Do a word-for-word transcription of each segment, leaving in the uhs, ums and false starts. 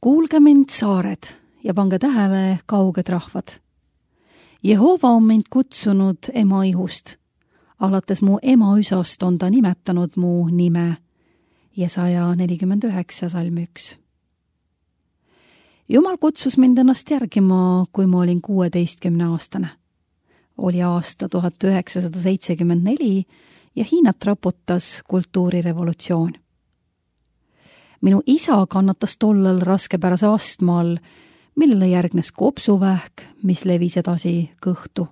Kuulge mind, saared, ja pange tähele, kauged rahvad. Jehova on mind kutsunud ema ihust. Alates mu ema üsast on ta nimetanud mu nime. Jesaja nelikümmend üheksa, salm üks. Jumal kutsus mind ennast järgima, kui ma olin kuueteistkümne aastane. Oli aasta tuhat üheksasada seitsekümmend neli ja Hiinat raputas kultuurirevolutsioon. Minu isa kannatas tollal raskepärase astma all, millele järgnes kopsuvähk, mis levis edasi kõhtu.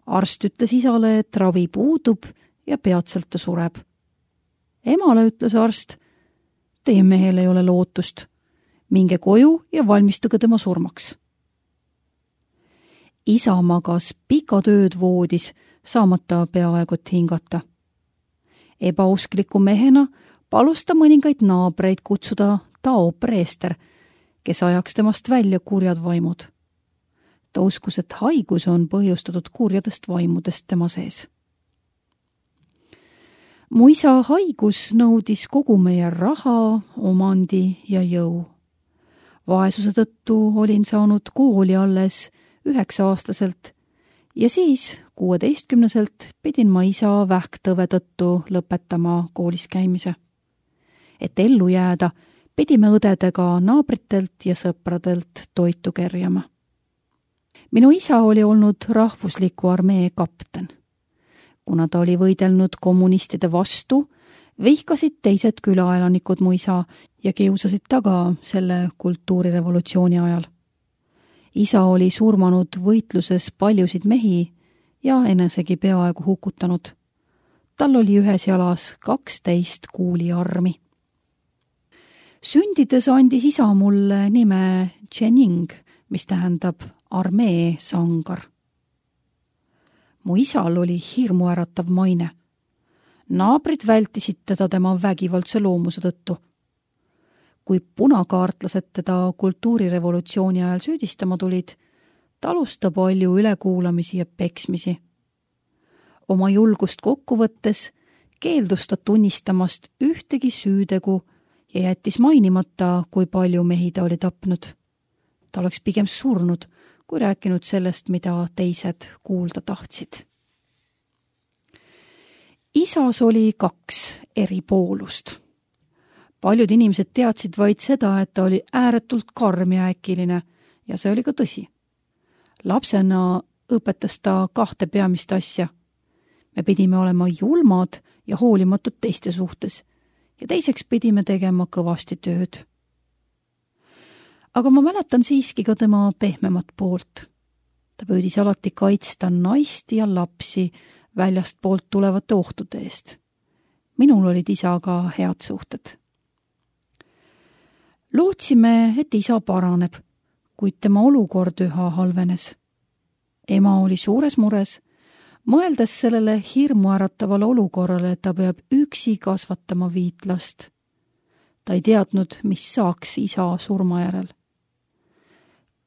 Arst ütles isale, et ravi puudub ja peatselt ta sureb. Emale ütles arst, teie mehel ei ole lootust. Minge koju ja valmistuge tema surmaks. Isa magas pikad ööd voodis, saamata peaaegu hingata. Ebauskliku mehena palus ta mõningaid naabreid kutsuda Tao preester, kes ajaks temast välja kurjad vaimud. Ta uskus, et haigus on põhjustatud kurjadest vaimudest tema sees. Mu isa haigus nõudis kogu meie raha, omandi ja jõu. Vaesuse tõttu olin saanud kooli alles üheksa-aastaselt ja siis kuueteistkümneselt pidin ma isa vähktõve tõttu lõpetama koolis käimise. Et ellu jääda, pidime õdedega naabritelt ja sõpradelt toitu kerjama. Minu isa oli olnud rahvusliku armee kapten. Kuna ta oli võidelnud kommunistide vastu, vihkasid teised külaelanikud mu isa ja kiusasid taga selle kultuurirevolutsiooni ajal. Isa oli surmanud võitluses paljusid mehi ja enesegi peaaegu hukutanud. Tal oli ühes jalas kaksteist kuuliarmi. Sündides andis isa mulle nime Chening, mis tähendab armee sangar. Mu isal oli hirmuäratav maine. Naabrid vältisid teda tema vägivaldse loomuse tõttu. Kui punakaartlased teda kultuurirevolutsiooni ajal süüdistama tulid, talus ta palju ülekuulamisi ja peksmisi. Oma julgust kokku võttes keeldus ta tunnistamast ühtegi süütegu ja jättis mainimata, kui palju mehi ta oli tapnud. Ta oleks pigem surnud, kui rääkinud sellest, mida teised kuulda tahtsid. Isas oli kaks eri poolust. Paljud inimesed teadsid vaid seda, et ta oli ääretult karm ja äkiline, ja see oli ka tõsi. Lapsena õpetas ta kahte peamist asja. Me pidime olema julmad ja hoolimatud teiste suhtes, ja teiseks pidime tegema kõvasti tööd. Aga ma mäletan siiski ka tema pehmemat poolt. Ta püüdis alati kaitsta naist ja lapsi väljast poolt tulevate ohtude eest. Minul olid isaga head suhted. Lootsime, et isa paraneb, kuid tema olukord üha halvenes. Ema oli suures mures, mõeldes sellele hirmuäratavale olukorrale, et ta peab üksi kasvatama viit last. Ta ei teadnud, mis saaks isa surma järel.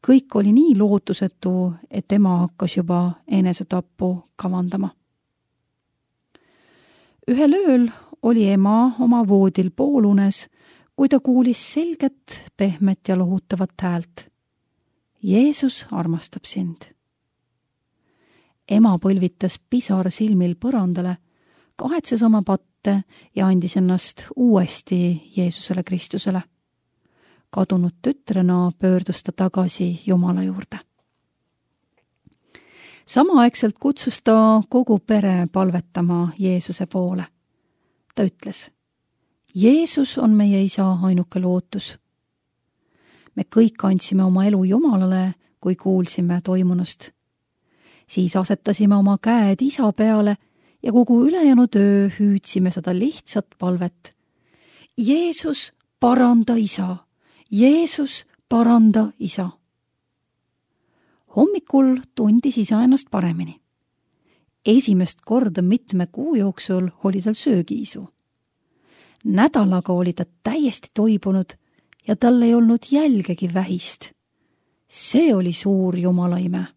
Kõik oli nii lootusetu, et ema hakkas juba enesetappu kavandama. Ühel ööl oli ema oma voodil poolunes, kui ta kuulis selget, pehmet ja lohutavat häält. Jeesus armastab sind. Ema põlvitas pisar silmil põrandale, kahetses oma patte ja andis ennast uuesti Jeesusele Kristusele. Kadunud tütrena pöördus ta tagasi Jumala juurde. Samaaegselt kutsus ta kogu pere palvetama Jeesuse poole. Ta ütles, Jeesus on meie isa ainuke lootus. Me kõik andsime oma elu Jumalale, kui kuulsime toimunust. Siis asetasime oma käed isa peale ja kogu ülejäänud öö hüüdsime seda lihtsat palvet. Jeesus, paranda isa! Jeesus, paranda isa! Hommikul tundis isa ennast paremini. Esimest korda mitme kuu jooksul oli tal söögiisu. Nädalaga oli ta täiesti toibunud ja tal ei olnud jälgegi vähist. See oli suur jumalaime.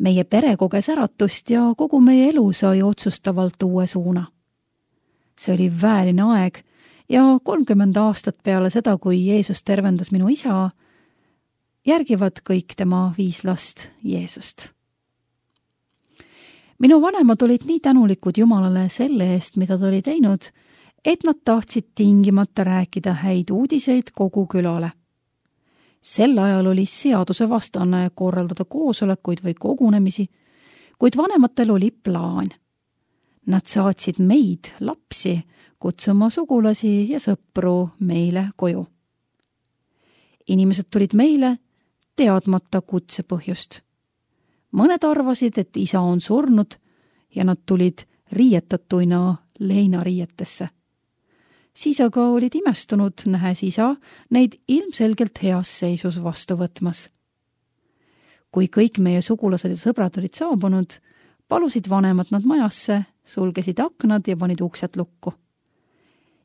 Meie pere koges äratust ja kogu meie elu sai otsustavalt uue suuna. See oli väeline aeg ja kolmkümmend aastat peale seda, kui Jeesus tervendas minu isa, järgivad kõik tema viis last Jeesust. Minu vanemad olid nii tänulikud Jumalale selle eest, mida ta oli teinud, et nad tahtsid tingimata rääkida häid uudiseid kogu külale. Sel ajal oli seaduse vastane korraldada koosolekuid või kogunemisi, kuid vanematel oli plaan. Nad saatsid meid, lapsi, kutsuma sugulasi ja sõpru meile koju. Inimesed tulid meile teadmata kutse põhjust. Mõned arvasid, et isa on surnud ja nad tulid riietatuina leinariietesse. Siis aga olid imestunud, nähes isa neid ilmselgelt heas seisus vastu võtmas. Kui kõik meie sugulased ja sõbrad olid saabunud, palusid vanemad nad majasse, sulgesid aknad ja panid uksed lukku.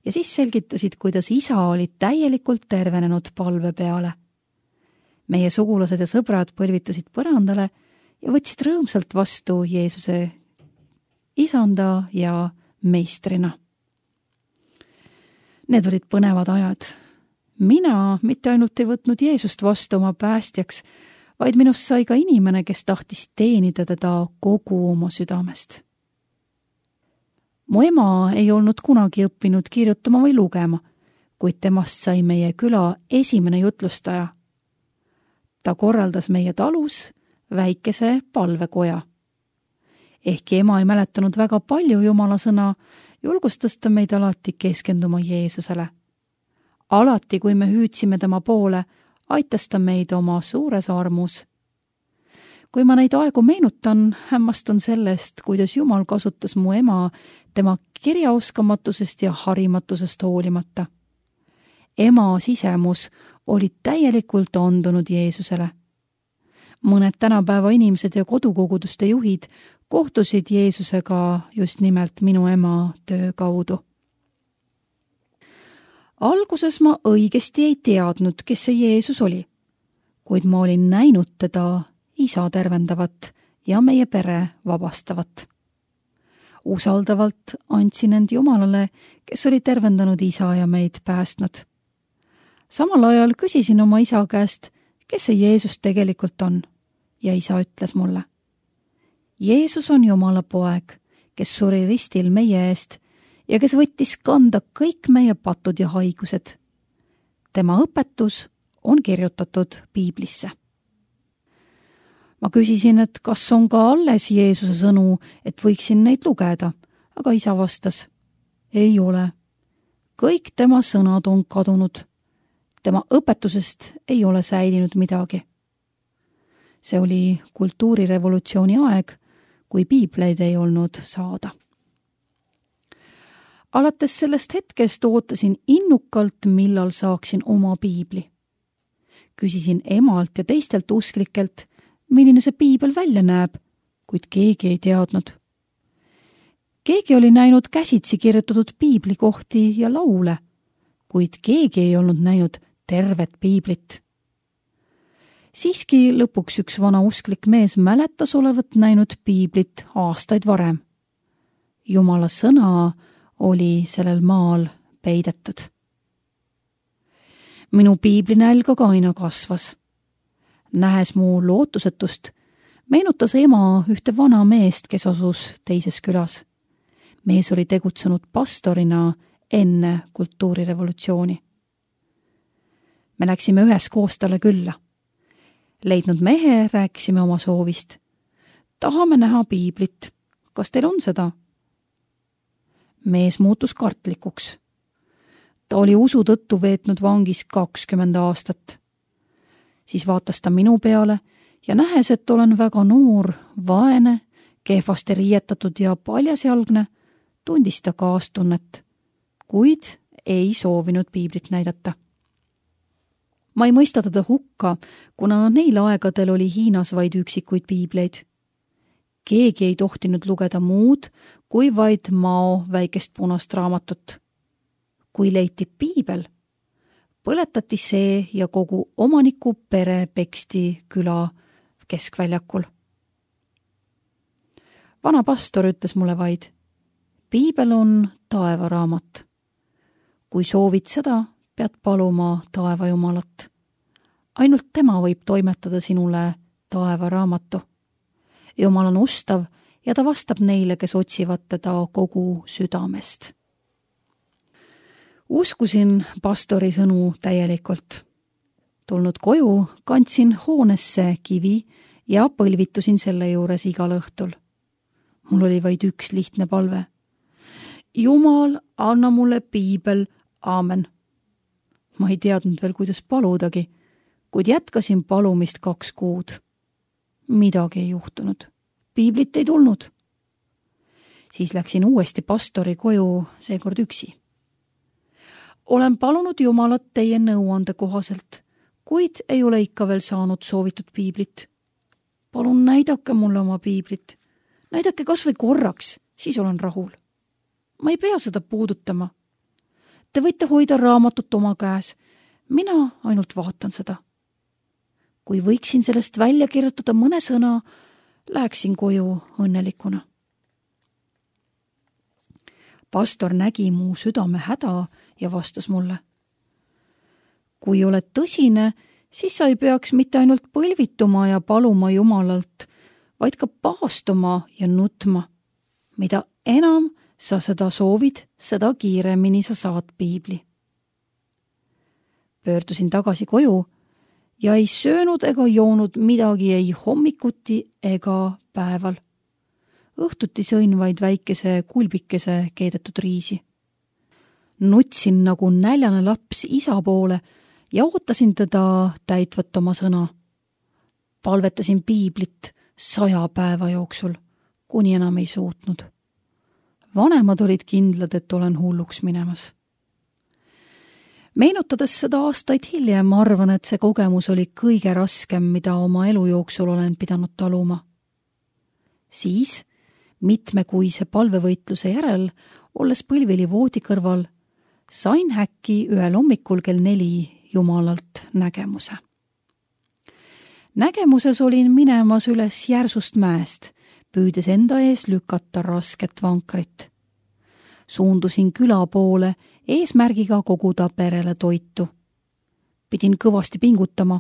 Ja siis selgitasid, kuidas isa oli täielikult tervenenud palve peale. Meie sugulased ja sõbrad põlvitusid põrandale ja võtsid rõõmsalt vastu Jeesuse isanda ja meistrina. Need olid põnevad ajad. Mina mitte ainult ei võtnud Jeesust vastu oma päästjaks, vaid minust sai ka inimene, kes tahtis teenida teda kogu oma südamest. Mu ema ei olnud kunagi õppinud kirjutama või lugema, kuid temast sai meie küla esimene jutlustaja. Ta korraldas meie talus väikese palvekoja. Ehkki ema ei mäletanud väga palju Jumala sõna, julgustas ta meid alati keskenduma Jeesusele. Alati, kui me hüüdsime tema poole, aitas ta meid oma suures armus. Kui ma neid aegu meenutan, hämmastun sellest, kuidas Jumal kasutas mu ema tema kirjaoskamatusest ja harimatusest hoolimata. Ema sisemus oli täielikult andunud Jeesusele. Mõned tänapäeva inimesed ja kodukoguduste juhid kohtusid Jeesusega just nimelt minu ema töö kaudu. Alguses ma õigesti ei teadnud, kes see Jeesus oli, kuid ma olin näinud teda isa tervendavat ja meie pere vabastavat. Usaldavalt andsin end Jumalale, kes oli tervendanud isa ja meid päästnud. Samal ajal küsisin oma isa käest, kes see Jeesus tegelikult on, ja isa ütles mulle: Jeesus on Jumala poeg, kes suri ristil meie eest ja kes võttis kanda kõik meie patud ja haigused. Tema õpetus on kirjutatud Piiblisse. Ma küsisin, et kas on ka alles Jeesuse sõnu, et võiksin neid lugeda, aga isa vastas: ei ole. Kõik tema sõnad on kadunud. Tema õpetusest ei ole säilinud midagi. See oli kultuurirevolutsiooni aeg, kui piibleid ei olnud saada. Alates sellest hetkest ootasin innukalt, millal saaksin oma piibli. Küsisin emalt ja teistelt usklikelt, milline see piibel välja näeb, kuid keegi ei teadnud. Keegi oli näinud käsitsi kirjutatud piiblikohti ja laule, kuid keegi ei olnud näinud tervet piiblit. Siiski lõpuks üks vana usklik mees mäletas olevat näinud piiblit aastaid varem. Jumala sõna oli sellel maal peidetud. Minu piiblinälg aga aina kasvas. Nähes mu lootusetust, meenutas ema ühte vana meest, kes asus teises külas. Mees oli tegutsenud pastorina enne kultuurirevolutsiooni. Me läksime üheskoos talle külla. Leidnud mehe rääkisime oma soovist. Tahame näha piiblit. Kas teil on seda? Mees muutus kartlikuks. Ta oli usu tõttu veetnud vangis kakskümmend aastat. Siis vaatas ta minu peale ja nähes, et olen väga noor, vaene, kehvasti riietatud ja paljasjalgne, tundis ta kaastunnet, kuid ei soovinud piiblit näidata. Ma ei mõista teda hukka, kuna neil aegadel oli Hiinas vaid üksikuid piibleid. Keegi ei tohtinud lugeda muud, kui vaid Mao väikest punast raamatut. Kui leiti piibel, põletati see ja kogu omaniku pere peksti küla keskväljakul. Vana pastor ütles mulle vaid: piibel on taevaraamat. kui soovid seda, pead paluma taeva Jumalat. Ainult tema võib toimetada sinule taeva raamatu. Jumal on ustav ja ta vastab neile, kes otsivad teda kogu südamest. Uskusin pastori sõnu täielikult. Tulnud koju, kandsin hoonesse kivi ja põlvitusin selle juures igal õhtul. Mul oli vaid üks lihtne palve. Jumal, anna mulle piibel, aamen. Ma ei teadnud veel, kuidas paludagi, kuid jätkasin palumist kaks kuud. Midagi ei juhtunud. Piiblit ei tulnud. Siis läksin uuesti pastori koju, seekord üksi. Olen palunud Jumalat teie nõuande kohaselt, kuid ei ole ikka veel saanud soovitud piiblit. Palun näidake mulle oma piiblit. Näidake kas või korraks, siis olen rahul. Ma ei pea seda puudutama. Te võite hoida raamatut oma käes. Mina ainult vaatan seda. Kui võiksin sellest välja kirjutada mõne sõna, läheksin koju õnnelikuna. Pastor nägi mu südame häda ja vastas mulle. Kui oled tõsine, siis sa ei peaks mitte ainult põlvituma ja paluma Jumalalt, vaid ka paastuma ja nutma. Mida enam sa seda soovid, seda kiiremini sa saad piibli. Pöördusin tagasi koju ja ei söönud ega joonud midagi ei hommikuti ega päeval. Õhtuti sõin vaid väikese kulbikese keedetud riisi. Nutsin nagu näljane laps isa poole ja ootasin teda täitvat oma sõna. Palvetasin piiblit saja päeva jooksul, kuni enam ei suutnud. Vanemad olid kindlad, et olen hulluks minemas. Meenutades seda aastaid hiljem, arvan, et see kogemus oli kõige raskem, mida oma elu jooksul olen pidanud taluma. Siis, mitmekuise palvevõitluse järel, olles põlvili voodi kõrval, sain häkki ühel hommikul kell neli Jumalalt nägemuse. Nägemuses olin minemas üles järsust mäest, püüdes enda ees lükata rasket vankrit. Suundusin küla poole eesmärgiga koguda perele toitu. Pidin kõvasti pingutama,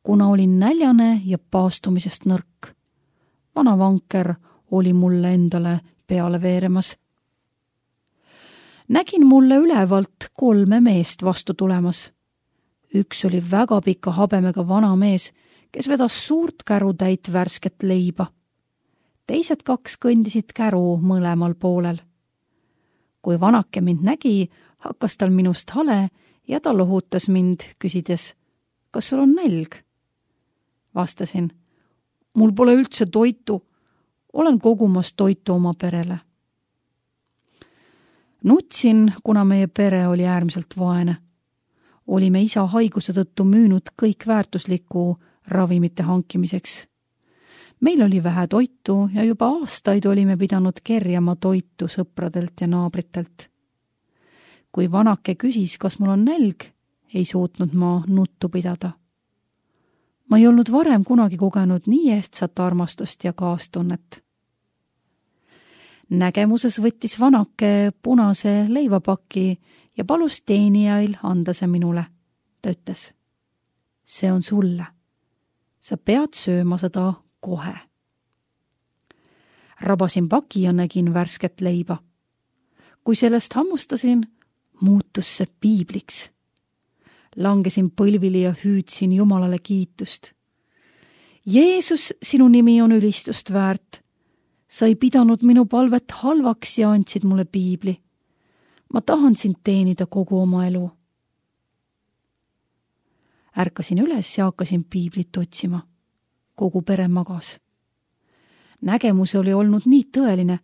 kuna olin näljane ja paastumisest nõrk. Vana vanker oli mulle endale peale veeremas. Nägin mulle ülevalt kolme meest vastu tulemas. Üks oli väga pika habemega vana mees, kes vedas suurt kärutäit värsket leiba. Teised kaks kõndisid käru mõlemal poolel. Kui vanake mind nägi, hakkas tal minust hale ja ta lohutas mind, küsides, kas sul on nälg? Vastasin, mul pole üldse toitu, olen kogumas toitu oma perele. Nutsin, kuna meie pere oli äärmiselt vaene. Olime isa haiguse tõttu müünud kõik väärtuslikku ravimite hankimiseks. Meil oli vähe toitu ja juba aastaid olime pidanud kerjama toitu sõpradelt ja naabritelt. Kui vanake küsis, kas mul on nälg, ei suutnud ma nuttu pidada. Ma ei olnud varem kunagi kogenud nii ehtsat armastust ja kaastunnet. Nägemuses võttis vanake punase leivapaki ja palus teenijail anda see minule. Ta ütles, see on sulle. Sa pead sööma seda kohe. Rabasin paki ja nägin värsket leiba. Kui sellest hammustasin, muutus see piibliks. Langesin põlvili ja hüüdsin Jumalale kiitust. Jeesus, sinu nimi on ülistust väärt. Sa ei pidanud minu palvet halvaks ja andsid mulle piibli. Ma tahan sind teenida kogu oma elu. Ärkasin üles ja hakkasin piiblit otsima. Kogu pere magas. Nägemus oli olnud nii tõeline,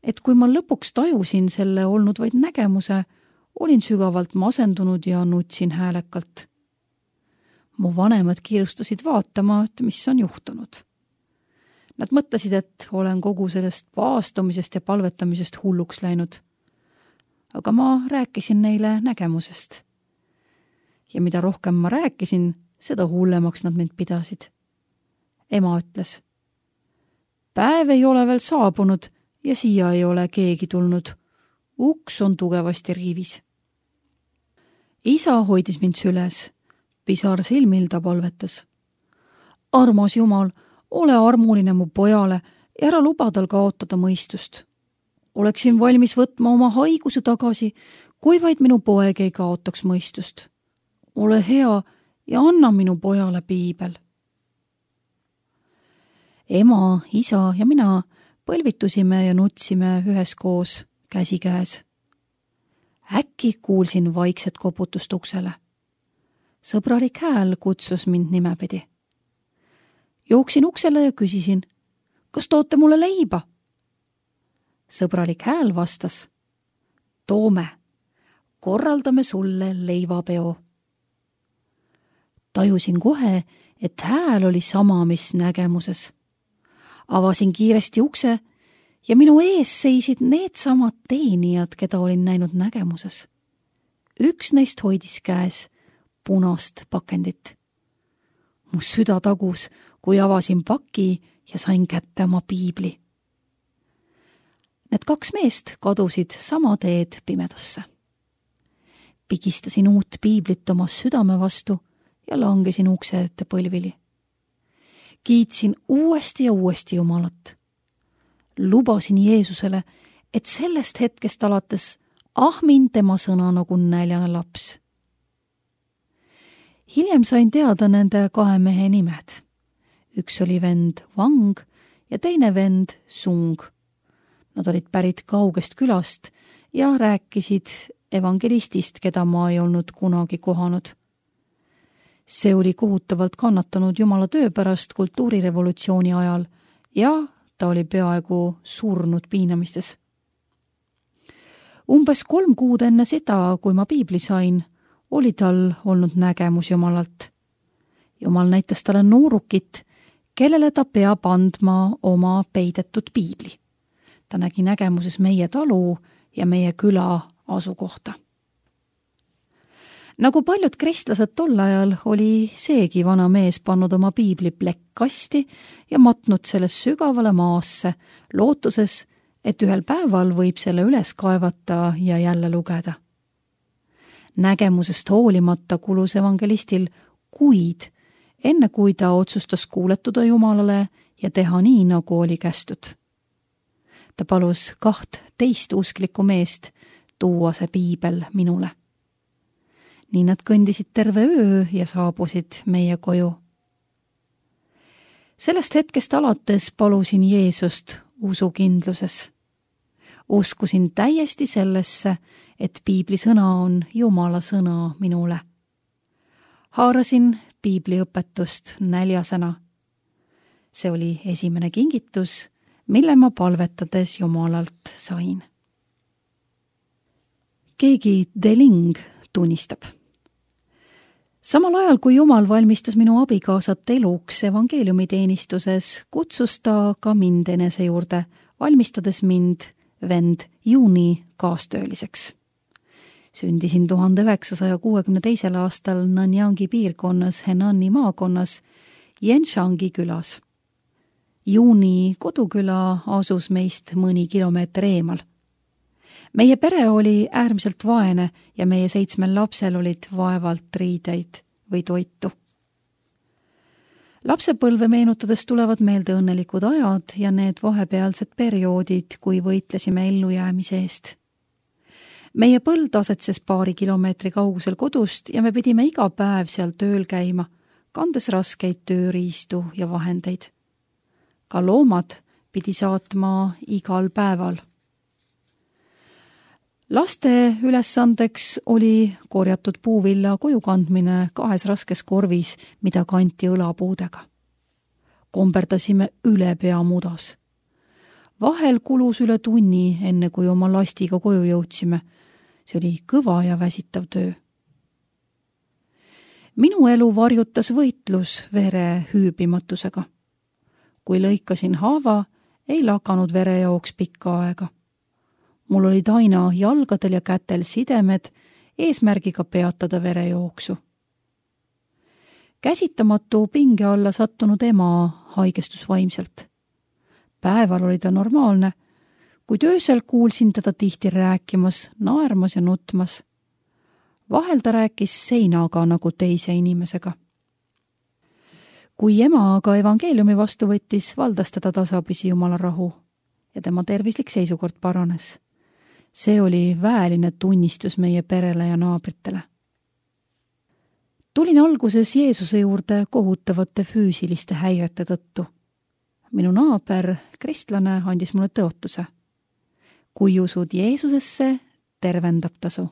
et kui ma lõpuks tajusin selle olnud vaid nägemuse, olin sügavalt masendunud ja nutsin häälekalt. Mu vanemad kiirustasid vaatama, et mis on juhtunud. Nad mõtlesid, et olen kogu sellest paastumisest ja palvetamisest hulluks läinud. Aga ma rääkisin neile nägemusest. Ja mida rohkem ma rääkisin, seda hullemaks nad mind pidasid. Ema ütles, päev ei ole veel saabunud ja siia ei ole keegi tulnud. Uks on tugevasti riivis. Isa hoidis mind süles, pisar silmil ta palvetas. Armas Jumal, ole armuline mu pojale ja ära luba tal kaotada mõistust. Oleksin valmis võtma oma haiguse tagasi, kui vaid minu poeg ei kaotaks mõistust. Ole hea ja anna minu pojale piibel. Ema, isa ja mina põlvitusime ja nutsime üheskoos käsikäes. Äkki kuulsin vaikset koputust uksele. Sõbralik hääl kutsus mind nimepidi. Jooksin uksele ja küsisin, kas toote mulle leiba? Sõbralik hääl vastas, toome, korraldame sulle leivapeo. Tajusin kohe, et hääl oli sama, mis nägemuses. Avasin kiiresti ukse ja minu ees seisid needsamad teenijad, keda olin näinud nägemuses. Üks neist hoidis käes punast pakendit. Mu süda tagus, kui avasin paki ja sain kätte oma piibli. Need kaks meest kadusid sama teed pimedusse. Pigistasin uut piiblit oma südame vastu ja langesin ukse ette põlvili. Kiitsin uuesti ja uuesti Jumalat. Lubasin Jeesusele, et sellest hetkest alates ahmin tema sõna nagu näljane laps. Hiljem sain teada nende kahe mehe nimed. Üks oli vend Wang ja teine vend Sung. Nad olid pärit kaugest külast ja rääkisid evangelistist, keda ma ei olnud kunagi kohanud. See oli kohutavalt kannatanud Jumala töö pärast kultuurirevolutsiooni ajal ja ta oli peaaegu surnud piinamistes. Umbes kolm kuud enne seda, kui ma piibli sain, oli tal olnud nägemus Jumalalt. Jumal näitas talle noorukit, kellele ta peab andma oma peidetud piibli. Ta nägi nägemuses meie talu ja meie küla asukohta. Nagu paljud kristlased tol ajal, oli seegi vana mees pannud oma piibli plekkkasti ja matnud selles sügavale maasse, lootuses, et ühel päeval võib selle üles kaevata ja jälle lugeda. Nägemusest hoolimata kulus evangelistil kuid, enne kui ta otsustas kuuletuda Jumalale ja teha nii, nagu oli kästud. Ta palus kaht teist usklikku meest tuua see piibel minule. Nii nad kõndisid terve öö ja saabusid meie koju. Sellest hetkest alates palusin Jeesust usukindluses. Uskusin täiesti sellesse, et piibli sõna on Jumala sõna minule. Haarasin piibli õpetust näljasena. See oli esimene kingitus, mille ma palvetades Jumalalt sain. Keegi Deling tunnistab. Samal ajal, kui Jumal valmistas minu abikaasat eluks evangeeliumiteenistuses, kutsus ta ka mind enese juurde, valmistades mind vend Juuni kaastööliseks. Sündisin tuhande üheksasaja kuuekümne teisel aastal Nanyangi piirkonnas Henani maakonnas Yenshangi külas. Juuni koduküla asus meist mõni kilomeeter eemal. Meie pere oli äärmiselt vaene ja meie seitsmel lapsel olid vaevalt riideid või toitu. Lapsepõlve meenutades tulevad meelde õnnelikud ajad ja need vahepealsed perioodid, kui võitlesime ellujäämise eest. Meie põld asetses paari kilomeetri kaugusel kodust ja me pidime iga päev seal tööl käima, kandes raskeid tööriistu ja vahendeid. Ka loomad pidi saatma igal päeval. Laste ülesandeks oli korjatud puuvilla koju kandmine kahes raskes korvis, mida kanti õlapuudega. Komberdasime üle pea mudas. Vahel kulus üle tunni, enne kui oma lastiga koju jõudsime. See oli kõva ja väsitav töö. Minu elu varjutas võitlus vere hüübimatusega. Kui lõikasin haava, ei lakanud verejooks pikka aega. Mul olid aina jalgadel ja kätel sidemed eesmärgiga peatada verejooksu. Käsitamatu pinge alla sattunud ema haigestus vaimselt. Päeval oli ta normaalne, kuid öösel kuulsin teda tihti rääkimas, naermas ja nutmas. vahel ta rääkis seinaga nagu teise inimesega. kui ema aga evangeeliumi vastu võttis, valdas teda tasapisi Jumala rahu ja tema tervislik seisukord paranes. See oli väeline tunnistus meie perele ja naabritele. Tulin alguses Jeesuse juurde kohutavate füüsiliste häirete tõttu. Minu naaber, kristlane, andis mulle tõotuse. Kui usud Jeesusesse, tervendab tasu.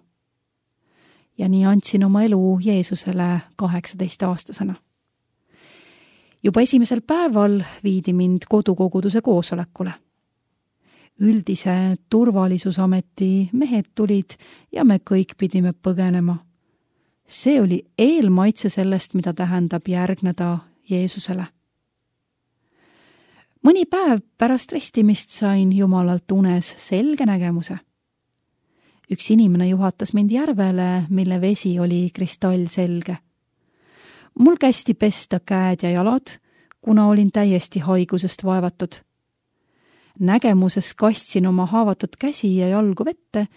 Ja nii andsin oma elu Jeesusele kaheksateist aastasena. Juba esimesel päeval viidi mind kodukoguduse koosolekule. Üldise turvalisusameti mehed tulid ja me kõik pidime põgenema. See oli eelmaitse sellest, mida tähendab järgneda Jeesusele. Mõni päev pärast ristimist sain Jumalalt unes selge nägemuse. Üks inimene juhatas mind järvele, mille vesi oli kristallselge. Mul kästi pesta käed ja jalad, kuna olin täiesti haigusest vaevatud. Nägemuses kastsin oma haavatud käsi ja jalgu vette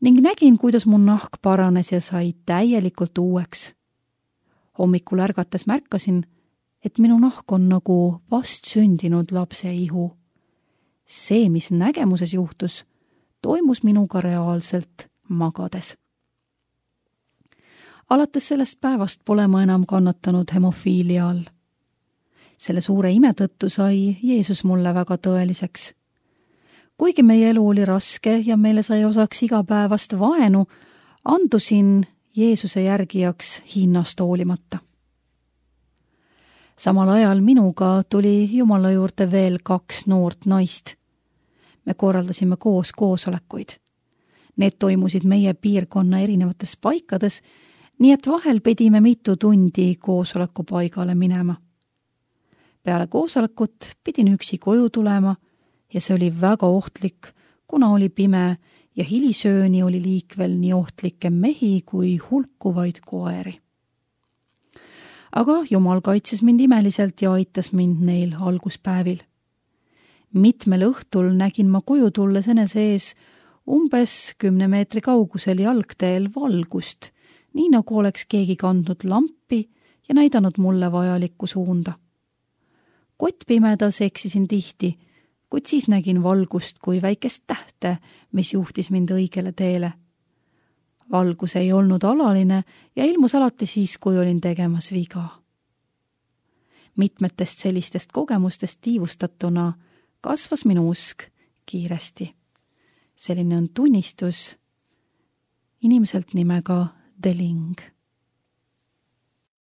ning nägin, kuidas mu nahk paranes ja sai täielikult uueks. Hommikul ärgates märkasin, et minu nahk on nagu vastsündinud lapse ihu. See, mis nägemuses juhtus, toimus minuga reaalselt magades. Alates sellest päevast pole ma enam kannatanud hemofiilia all. Selle suure ime tõttu sai Jeesus mulle väga tõeliseks. Kuigi meie elu oli raske ja meile sai osaks igapäevast vaenu, andusin Jeesuse järgijaks hinnast hoolimata. Samal ajal minuga tuli Jumala juurde veel kaks noort naist. Me korraldasime koos koosolekuid. Need toimusid meie piirkonna erinevates paikades, nii et vahel pidime mitu tundi koosoleku paigale minema. Peale koosolekut pidin üksi koju tulema ja see oli väga ohtlik, kuna oli pime ja hilisööni oli liikvel nii ohtlikke mehi kui hulkuvaid koeri. Aga Jumal kaitses mind imeliselt ja aitas mind neil alguspäevil. Mitmel õhtul nägin ma koju tulles enese ees umbes kümne meetri kaugusel jalgteel valgust, nii nagu oleks keegi kandnud lampi ja näidanud mulle vajalikku suunda. Kottpimedas eksisin tihti, kuid siis nägin valgust kui väikest tähte, mis juhtis mind õigele teele. Valgus ei olnud alaline ja ilmus alati siis, kui olin tegemas viga. Mitmetest sellistest kogemustest tiivustatuna kasvas minu usk kiiresti. Selline on tunnistus inimeselt nimega Deling.